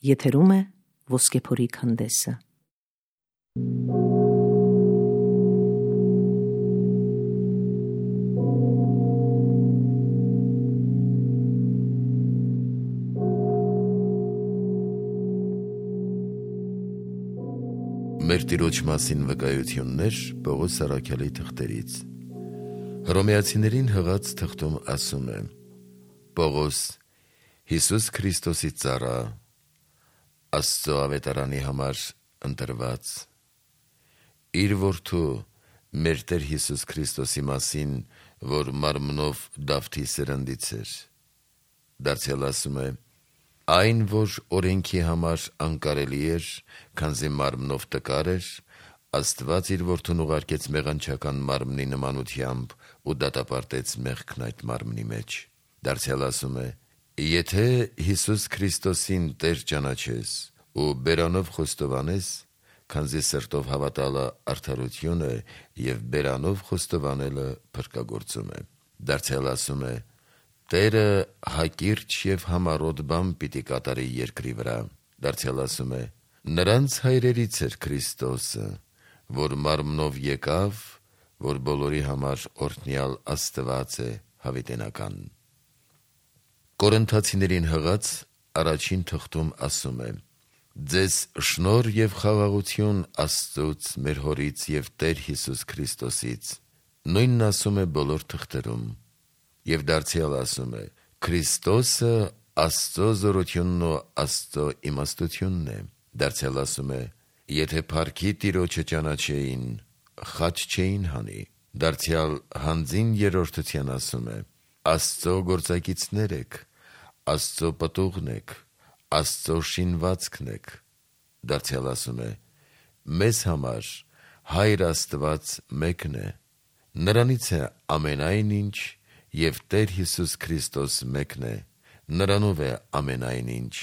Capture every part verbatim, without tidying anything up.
Եթերում է Ոսկեփորի քանդեսը։ Մեր Տիրոջ մասին վկայություններ Պողոս առաքյալի թղթերից։ Հռոմեացիներին հղած թղթում ասում է. Պողոս, Հիսուս Քրիստոսի ծառա, Աստծո ավետարանի համար ընտրված, իր որդու մեր Տեր Հիսուս Քրիստոսի մասին, որ մարմնով Դավթի սերնդից էր։ Դարձյալ ասում է. այն, որ օրենքի համար անկարելի էր, քանզի մարմնով տկար էր, Աստված իր որդուն ուղարկեց մեղանչական մարմնի նմանությամբ ու դատապարտեց մեղքն այդ մարմնի մեջ։ Դարձյալ ասում է. եթե Հիսուս Քրիստոսին Տեր ճանաչես ու բերանով խոստովանես, քանզի սրտով հավատալը արդարություն է և բերանով խոստովանելը փրկագործում է։ Դարձյալ ասում է. Տերը հակիրճ և համառոտ բան պիտի կատարի երկրի վրա։ Դարձյալ ասում է. նրանց հայրերից էր Քրիստոսը, որ մարմնով եկավ, որ բոլորի համար օրհնյալ Աստված է հավիտենական։ Կորինթացիներին հղած առաջին թղթում ասում է. ձեզ շնորհ և խաղաղություն Աստծուց, մեր Հորից և Տեր Հիսուս Քրիստոսից։ Նույնն ասում է բոլոր թղթերում։ Եվ դարձյալ ասում է. Քրիստոսը Աստծո զորությունն ու Աստծո իմաստությունն է։ Դարձյալ ասում է. եթե փառքի Տիրոջը ճանաչեին, խաչ չէին հանի։ Դարձյալ հանձին երրորդության ասում է. Աստծո գործակիցներ եք, Աստծո պտուղն եք, Աստծո շինվածքն եք։ Դարձյալ ասում է. մեզ համար Հայր Աստված մեկն է, նրանից է ամենայն ինչ, և Տեր Հիսուս Քրիստոս մեկն է, նրանով է ամենայն ինչ։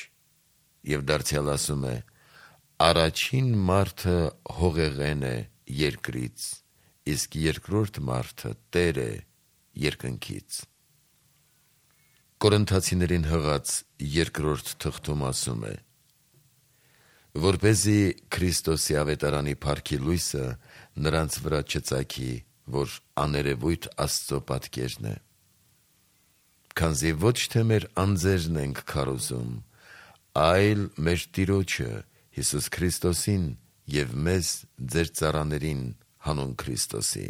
Եվ դարձյալ ասում է. առաջին մարդը հողեղեն է երկրից, իսկ երկրորդ մարդը Տեր է երկնքից։ Կորինթացիներին հղած երկրորդ թղթում ասում է. որպեսզի Քրիստոսի ավետարանի փառքի լույսը նրանց վրա չծագի, որ աներևույթ Աստծո պատկերն է։ Քանզի ոչ թե մեր անձերն ենք քարոզում, այլ մեր Տիրոջը Հիսուս Քրիստոսին և մեզ ձեր ծառաներին հանուն Քրիստոսի։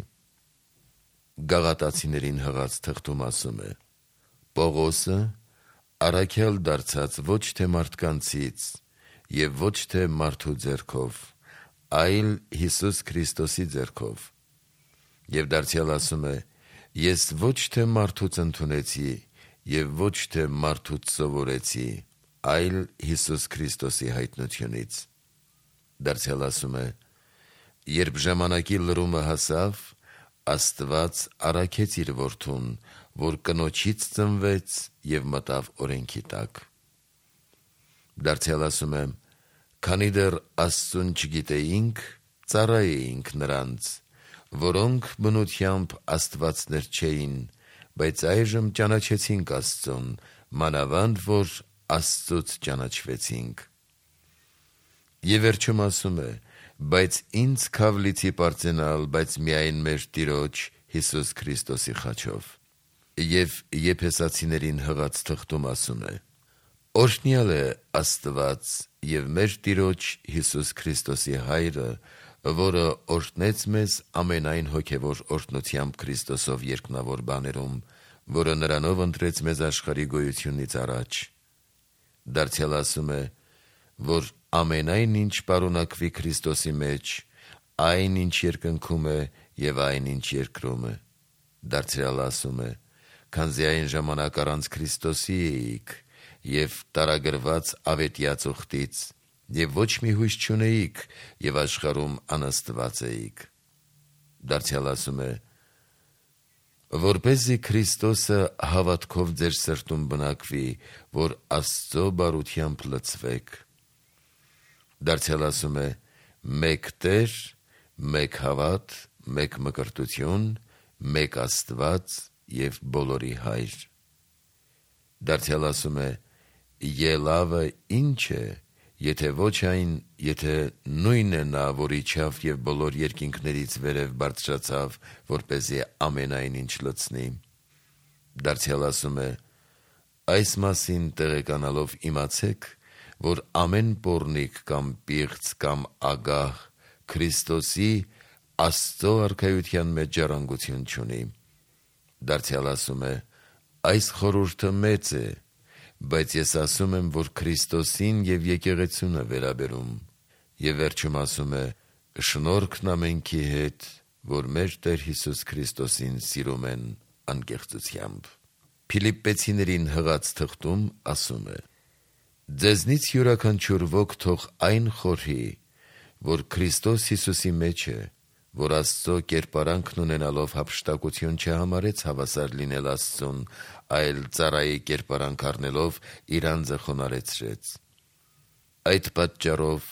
Գաղատացիներին հղած թղթում ասում է. Պողոսը, առաքյալ դարձած ոչ թե մարդկանցից և ոչ թե մարդու ձեռքով, այլ Հիսուս Քրիստոսի ձեռքով։ Եվ դարձյալ ասում է. ես ոչ թե մարդուց ընդունեցի և ոչ թե մարդուց սովորեցի, այլ Հիսուս Քրիստոսի հայտնությունից։ Դարձյալ ասում է. երբ ժամանակի լրումը հասավ, Աստված առաքեց իր որդուն, որ կնոջից ծնվեց և մտավ օրենքի տակ։ Դարձյալ ասում է. քանի դեռ Աստծուն չգիտեինք, ծառայեինք նրանց, որոնք բնությամբ աստվածներ չէին, բայց այժմ ճանաչեցինք Աստծուն, մանավանդ որ Աստծուց ճանաչվեցինք։ Եվ վերջում ասում է. բայց ինձ քավ լիցի պարծենալ, բայց միայն մեր Տիրոջ Հիսուս Քրիստոսի խաչով։ Եվ Եփեսացիներին հղած թղթում ասում է. օրհնյալ է Աստված և մեր Տիրոջ Հիսուս Քրիստոսի Հայրը, որը օրհնեց մեզ ամենայն հոգևոր օրհնությամբ Քրիստոսով երկնավոր բաներում, որը նրանով ընտրեց մեզ աշխարհի գոյությունից առաջ։ Դարձյալ ասում է, որ ամենայն ինչ պարունակվի Քրիստոսի մեջ, այն ինչ երկնքում է և այն ինչ երկրում է։ Դարձյալ ասում է. քանզի այն ժամանակ առանց Քրիստոսի էիք և տարագրված ավետյա ծուխտից, և ոչ մի հույս չունեիք և աշխարհում անաստված էիք։ Դարձյալ ասում է. որպեսզի Քրիստոսը հավատքով ձեր սրտում բնակվի, որ Աստծո բարությամբ լցվեք։ Դարձյալ ասում է. մեկ Տեր, մեկ հավատ, մեկ մկրտություն, մեկ Աստված և բոլորի Հայր։ Դարձյալ ասում է. ելավը ինչ է Եթե ոչ այն, եթե նույնն է նա, որ իջավ և բոլոր երկինքներից վերև բարձրացավ, որպեսզի ամենայն ինչ լցնի։ Դարձյալ ասում է. այս մասին տեղեկանալով իմացեք, որ ամեն պոռնիկ կամ պիղծ կամ ագահ Քրիստոսի Աստծո արքայության մեջ ժառանգություն չունի։ Դարձյալ ասում է. այս խորհուրդը մեծ է, բայց ես ասում եմ, որ Քրիստոսին և եկեղեցուն է վերաբերում։ Եվ վերջում ասում է. շնորհքն ամենքի հետ, որ մեր Տեր Հիսուս Քրիստոսին սիրում են անկեղծությամբ։ Փիլիպպեցիներին հղած թղթում ասում է. ձեզնից յուրաքանչյուր ոք թող այն խորհի, որ Քրիստոս Հիսուսի մեջ է, որ Աստծո կերպարանքն ունենալով հափշտակություն չհամարեց հավասար լինել Աստծուն, այլ ծառայի կերպարանք առնելով իր անձը խոնարհեցրեց։ Այդ պատճառով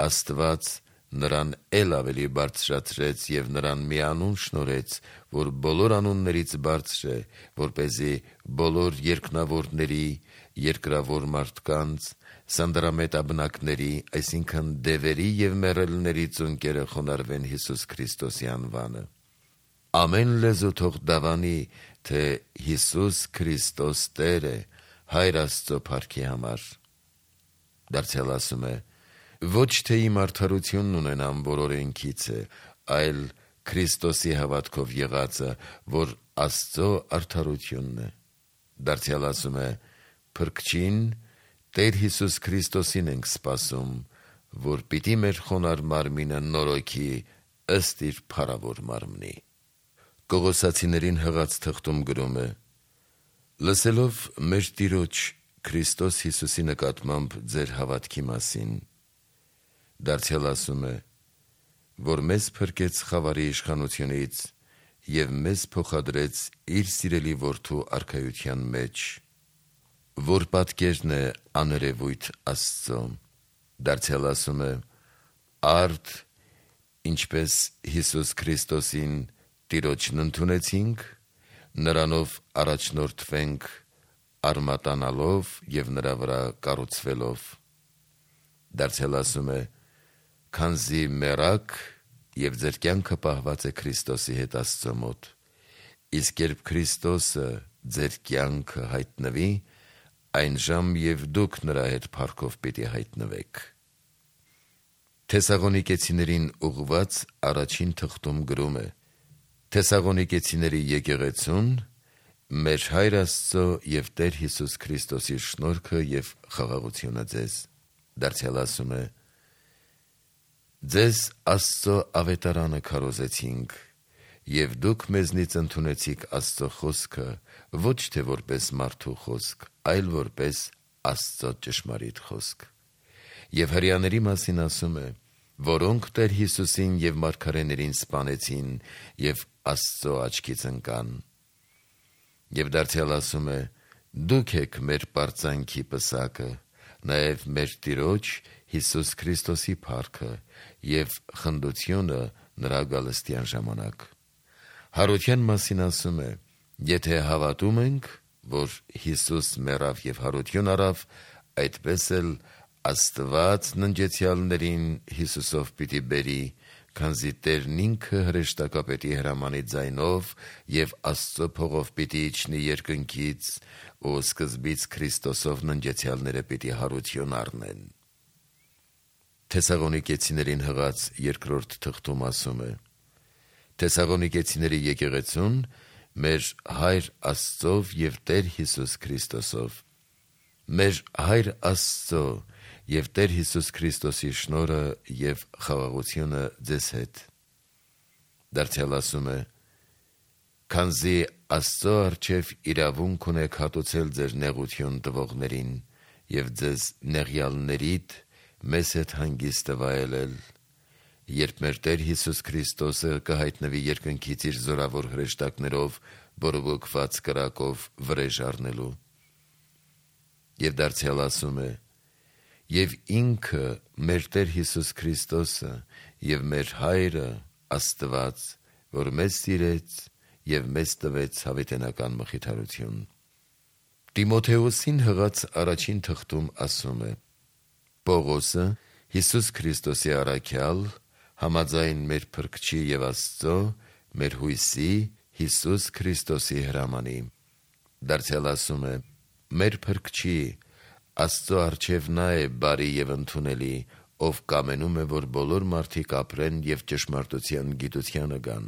Աստված նրան էլ ավելի բարձրացրեց և նրան մի անուն շնորհեց, որ բոլոր անուններից բարձր է, որպեսզի բոլոր երկնավորների, երկրավոր մարդկանց, սանդրամետաբնակների, այսինքն դևերի և մեռելների ծունկերը խոնարհվեն Հիսուս Քրիստոսի անվանը։ Ամեն լեզու թող դավանի, թե Հիսուս Քրիստոս Տեր է, Հայր Աստծո փառքի համար։ Դարձյալ ասում է. ոչ թե իմ արդարությունն ունենամ, որ օրենքից է, այլ Քրիստոսի հավատքով եղածը, որ Աստծո արդարությունն է։ Դարձյալ ասում է. փրկչին, Տեր Հիսուս Քրիստոսին ենք սպասում, որ պիտի մեր խոնարհ մարմինը նորոգի ըստ իր փառավոր մարմնի։ Կողոսացիներին հղած թղթում գրում է. լսելով մեր Տիրոջ Քրիստոս Հիսուսի նկատմամբ ձեր հավատքի մասին, դարձյալ ասում է, որ մեզ փրկեց խավարի իշխանությունից և մեզ փոխադրեց իր սիրելի որդու արքայության մեջ, որ պատկերն է աներևույթ Աստծո։ Դարձյալ ասում է. արդ, ինչպես Հիսուս Քրիստոսին Տիրոջն ընդունեցինք, նրանով առաջնորդվենք արմատանալով և նրա վրա կառուցվելով։ Դարձյալ ասում է. քանզի մեռաք և ձեր կյանքը պահված է Քրիստոսի հետ Աստծո մոտ, իսկ երբ Քրիստոսը ձեր կյանքը հայտնվի, այնժամ և դուք նրա հետ փառքով պիտի հայտնվեք։ Թեսաղոնիկեցիներին ուղղված առաջին թղթում գրում է. Թեսաղոնիկեցիների եկեղեցուն մեր Հայր Աստծո և Տեր Հիսուս Քրիստոսի շնորհքը և խաղաղությունը ձեզ։ Դարձյալ ասում է. ձեզ Աստծո ավետարանը քարոզեցինք, և դուք մեզնից ընդունեցիք Աստծո խոսքը, ոչ թե որպես մարդու խոսք, այլ որպես Աստծո ճշմարիտ խոսք։ Եվ հրեաների մասին ասում է, որոնք Տեր Հիսուսին և մարգարեներին սպանեցին և Աստծո աչքից ընկան։ Եվ դարձյալ ասում է. դուք եք մեր պարծանքի պսակը, նաև մեր Տիրոջ Հիսուս Քրիստոսի փառքը և խնդությունը նրա գալստյան ժամանակ։ Հարության մասին ասում է. եթե հավատում ենք, որ Հիսուս մեռավ և հարություն առավ, այդպես էլ Աստված ննջեցյալներին Հիսուսով պիտի բերի, քանզի Տերն ինքը հրեշտակապետի հրամանի ձայնով և Աստծո փողով պիտի իջնի երկնքից, ու սկզբից Քրիստոսով ննջեցյալները պիտի հարություն առնեն։ Թեսաղոնիկեցիներին հղած երկրորդ թղթում ասում է. Թեսաղոնիկեցիների եկեղեցուն մեր Հայր Աստծով և Տեր Հիսուս Քրիստոսով։ Մեր Հայր Աստծո և Տեր Հիսուս Քրիստոսի շնորհը և խաղաղությունը ձեզ հետ։ Դարձյալ ասում է. քանզի Աստծո առջև իրավունք ունեք հատուցել ձեր նեղություն տվողներին և ձեզ նեղյալներիդ մեզ հետ հանգիստը վայելել, երբ մեր Տեր Հիսուս Քրիստոսը կհայտնվի երկնքից իր զորավոր հրեշտակներով բորբոքված կրակով վրեժ առնելու։ Եվ դարձյալ ասում է. և ինքը մեր Տեր Հիսուս Քրիստոսը և մեր Հայրը Աստված, որ մեզ սիրեց և մեզ տվեց հավիտենական մխիթարություն։ Տիմոթեոսին հղած առաջին թղթում ասում է. Պողոսը Հիսուս Քրիստոսի առաքյալ, համաձայն մեր Փրկչի եւ Աստծո, մեր հույսի Հիսուս Քրիստոսի հրամանի։ Դարձյալ ասում է. մեր Փրկչի Աստծո առջև նա է բարի եւ ընդունելի, ով կամենում է, որ բոլոր մարդիկ ապրեն եւ ճշմարտության գիտությանը գան։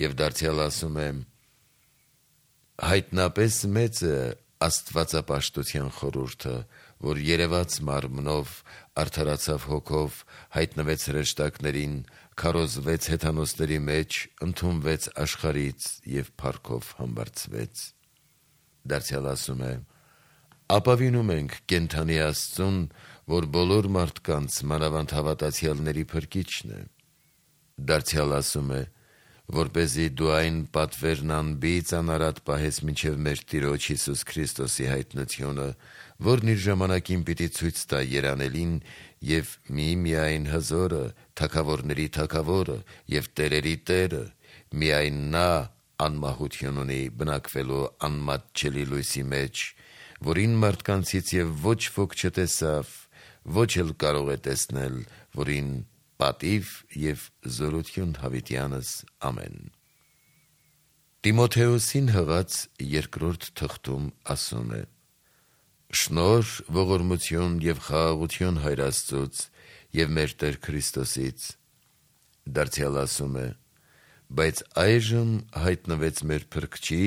Եվ դարձյալ ասում է. հայտնապես մեծ է աստվածապաշտության խորհուրդը, որ երևաց մարմնով, արդարացավ հոգով, հայտնվեց հրեշտակներին, քարոզվեց հեթանոսների մեջ, ընդունվեց աշխարհից եւ փառքով համբարձվեց։ Դարձյալ ասում է. ապավինում ենք կենդանի Աստծուն, որ բոլոր մարդկանց մանավանդ հավատացյալների Փրկիչն է։ Դարձյալ ասում է. որպեսզի դու այն պատվերն անբիծ անարատ պահես մինչև մեր Տիրոջ Հիսուս Քրիստոսի հայտնությունը, որն իր ժամանակին պիտի ցույց տա երանելին եւ միմիայն հզորը, թագավորների թագավորը եւ տերերի Տերը, միայն նա անմահություն ունի բնակվելու անմատչելի լույսի մեջ, որին մարդկանցից եւ ոչ ոք չտեսավ, ոչ էլ կարող է տեսնել, որին պատիվ եւ զորություն հավիտյանս ամեն։ Տիմոթեոսին հղած երկրորդ թղթում ասում է. շնորհ, ողորմություն եւ խաղաղություն Հայր Աստծուց եւ մեր Տեր Քրիստոսից։ Դարձյալ ասում է. բայց այժմ հայտնվեց մեր Փրկչի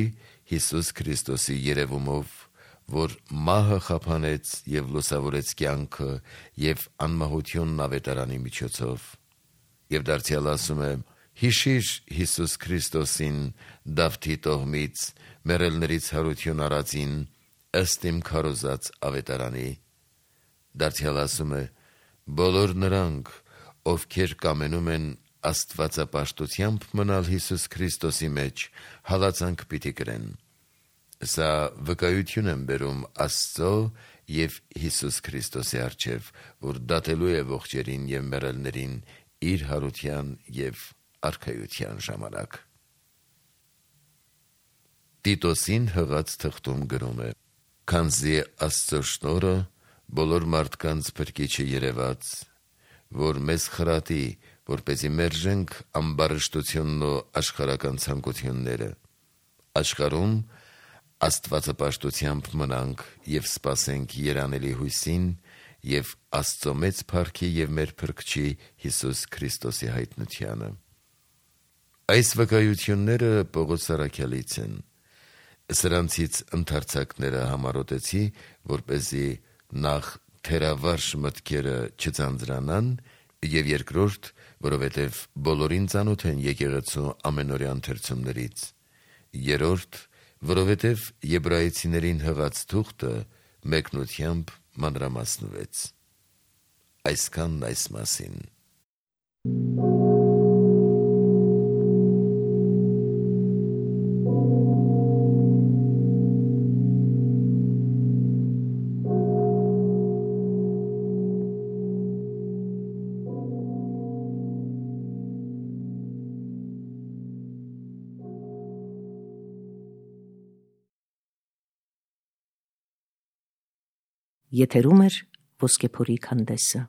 Հիսուս Քրիստոսի երևումով, որ մահը խափանեց եւ լուսավորեց կյանքը եւ անմահությունն ավետարանի միջոցով։ Եվ դարձյալ ասում է. հիշիր Հիսուս Քրիստոսին Դավթի տոհմից, մեռելներից հարություն առածին, ըստ իմ քարոզած ավետարանի։ Դարձյալ ասում է. բոլոր նրանք, ովքեր կամենում են աստվածապաշտությամբ մնալ Հիսուս Քրիստոսի մեջ, հալածանք պիտի կրեն։ Սա վկայություն եմ բերում Աստծո եւ Հիսուս Քրիստոսի առջև, որ դատելու է ողջերին եւ մեռելներին իր հարության եւ արքայության ժամանակ։ Տիտոսին հղած թղթում գրում է. քանզի Աստծո շնորհը բոլոր մարդկանց Փրկիչը երևաց, որ մեզ խրատի, որպեսզի մերժենք ամբարշտությունն ու աշխարհական ցանկությունները, աշխարհում աստվածապաշտությամբ մնանք եւ սպասենք երանելի հույսին եւ Աստծո մեծ փառքի եւ մեր Փրկչի Հիսուս Քրիստոսի հայտնությանը։ Այս վկայությունները Պողոս առաքյալից են։ Սրանցից ընդարձակները համառոտեցի, որպեսզի նախ թերավարժ մտքերը չձանձրանան, եւ երկրորդ, որովհետեւ բոլորին ծանոթ են եկեղեցու ամենօրյա ընթերցումներից, երրորդ, որովհետեւ եբրայեցիներին հղած թուղթը մեկնությամբ մանրամասնվեց։ Այսքանն այս մասին։ Եթերում է Ոսկեփորի քանդեսը։